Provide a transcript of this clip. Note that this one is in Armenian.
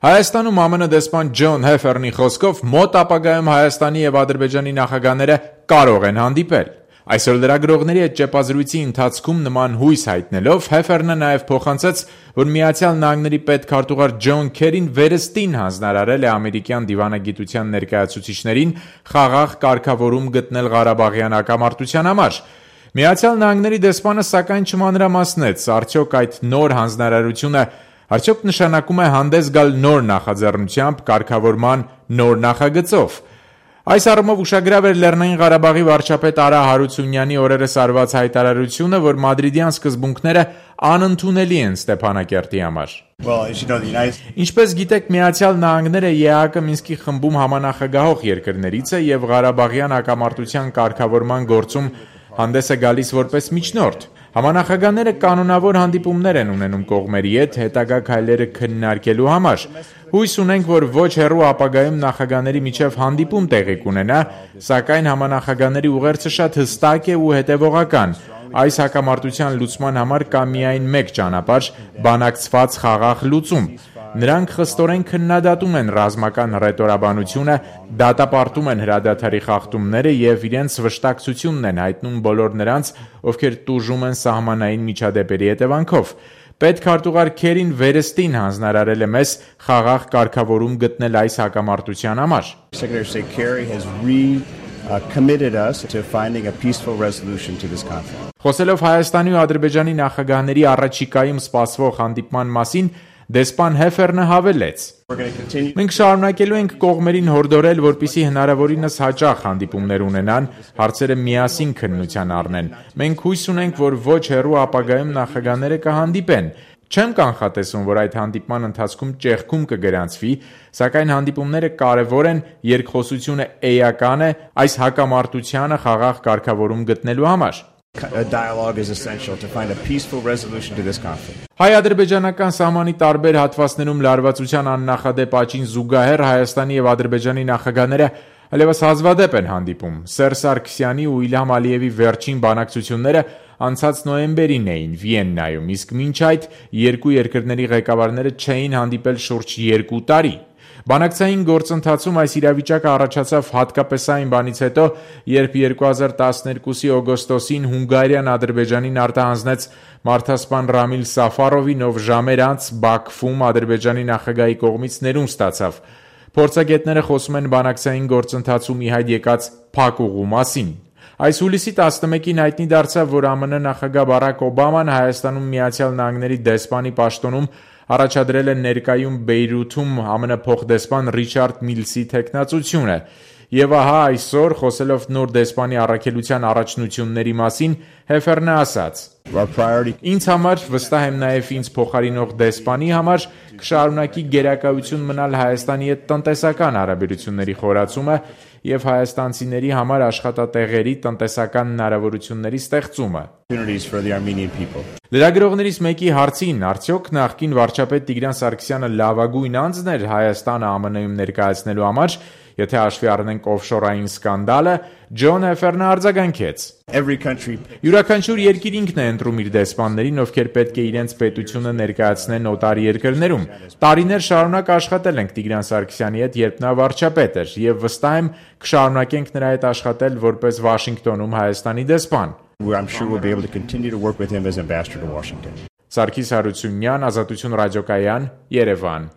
Հայաստանում ԱՄՆ դեսպան Ջոն Հեֆերնի խոսքով մոտ ապագայում Հայաստանի եւ Ադրբեջանի նախագահները կարող են հանդիպել։ Այսօր լրագրողների հետ ճեպազրույցի ընթացքում նման հույս հայտնելով Հեֆերնը նաև փոխանցեց, որ Միացյալ Նահանգների պետքարտուղար Ջոն Քերին վերստին հանձնարարել է ամերիկյան դիվանագիտության ներկայացուցիչներին խաղաղ կարգավորում գտնել Ղարաբաղյան հակամարտության համար։ Միացյալ Նահանգների դեսպանը սակայն չմանրամասնեց, արդյոք այդ նոր հանձնարարությունը արդյոք նշանակում է հանդես գալ նոր նախաձեռնությամբ կարգավորման նոր նախագծով։ Այս առումով ուշագրավ էր Լեռնային Ղարաբաղի վարչապետ Արա Հարությունյանի օրերս արված հայտարարությունը, որ մադրիդյան սկզբունքները անընդունելի են Ստեփանակերտի համար։ Ինչպես գիտեք, Միացյալ Նահանգները ԵԱՀԿ Մինսկի խմբում համանախագահող երկրներից է եւ Ղարաբաղյան հակամարտության կարգավորման գործում հանդես է գալիս որպես միջնորդ։ Համանախագահները կանոնավոր հանդիպումներ են ունենում կողմերի հետ հետագա քայլերը քննարկելու համար։ Հույս ունենք, որ ոչ հեռու ապագայում նախագահների միջև հանդիպում տեղի կունենա, սակայն համանախագահների ուղերձը շատ հստակ է ու հետևողական։ Այս հակամարտության լուծման համար կա միայն մեկ ճանապարհ՝ բանակցված խաղաղ լուծում։ Նրանք խստորեն քննադատում են ռազմական հռետորաբանությունը, դատապարտում են հրադադարի խախտումները եւ իրենց վշտակցությունն են հայտնում բոլոր նրանց, ովքեր տուժում են սահմանային միջադեպերի հետևանքով։ Պետքարտուղար Քերին վերստին հանձնարարել է մեզ խաղաղ կարգավորում գտնել այս հակամարտության համար։ Committed us to finding a peaceful resolution to this conflict. Խոսելով Հայաստանի ու Ադրբեջանի նախագահների առաջիկայում սպասվող հանդիպման մասին, դեսպան Հեֆերնը հավելեց. Մենք շարունակելու ենք կողմերին հորդորել, որպեսզի հնարավորինս հաճախ հանդիպումներ ունենան, հարցերը միասին քննության առնեն։ Մենք հույս ունենք, որ ոչ հեռու ապագայում նախագահները կհանդիպեն։ Չեմ կանխատեսում, որ այդ հանդիպման ընթացքում ճեղքում կգրանցվի, սակայն հանդիպումները կարևոր են, երկխոսությունը էական է այս հակամարտությանը խաղաղ կարգավորում գտնելու համար։ Հայ-ադրբեջանական սահմանի տարբեր հատվածներում լարվածության աննախադեպ աճին զուգահեռ Հայաստանի եւ Ադրբեջանի նախագահները այլևս հազվադեպ են հանդիպում։ Սերժ Սարգսյանի ու Իլհամ Ալիևի վերջին բանակցությունները անցած նոյեմբերին էին Վիեննայում, իսկ մինչ այդ երկու երկրների ղեկավարները չէին հանդիպել շուրջ 2 տարի։ Բանակցային գործընթացում այս իրավիճակը առաջացավ հատկապես այն բանից հետո, երբ 2012-ի օգոստոսին Հունգարիան Ադրբեջանին արտահանձնեց մարդասպան Ռամիլ Սաֆարովին, ով ժամեր անց Բաքվում Ադրբեջանի նախագահի կողմից ներում ստացավ։ Փորձագետները խոսում են բանակցային գործընթացում ի հայտ եկած փակ ուղու մասին։ Այս հուլիսի 11-ին հայտնի դարձավ, որ ԱՄՆ նախագահ Բարակ Օբաման Հայաստանում Միացյալ Նահանգների դեսպանի պաշտոնում առաջադրել է ներկայում Բեյրութում ԱՄՆ փոխդեսպան Ռիչարդ Միլսի թեկնածությունը։ Եվ ահա այսօր, խոսելով նոր դեսպանի առաքելության առաջնությունների մասին, Հեֆերնը ասաց. Ինձ համար, վստահ եմ նաև ինձ փոխարինող դեսպանի համար, կշարունակի գերակայություն մնալ Հայաստանի հետ տնտեսական հարաբերությունների խորացումը եւ հայաստանցիների համար աշխատատեղերի տնտեսական հնարավորությունների ստեղծումը։ Լրագրողներից մեկի հարցին, արդյոք նախկին վարչապետ Տիգրան Սարգսյանը լավագույն անձն էր Հայաստանը ԱՄՆ-ում ներկայացնելու համար, եթե հաշվի առնենք օֆշորային սկանդալը, Ջոն Հեֆերնը արձագանքեց. Յուրաքանչյուր երկիր ինքն է ընտրում իր դեսպաններին, ովքեր պետք է իրենց պետությունը ներկայացնեն օտար երկրներում։ Տարիներ շարունակ աշխատել ենք Տիգրան Սարգսյանի հետ, երբ նա վարչապետ էր, եւ վստահ եմ կշարունակենք նրա հետ աշխատել որպես Վաշինգտոնում Հայաստանի դեսպան։ Սարգիս Հարությունյան, Ազատություն ռադիոկայան, Երևան։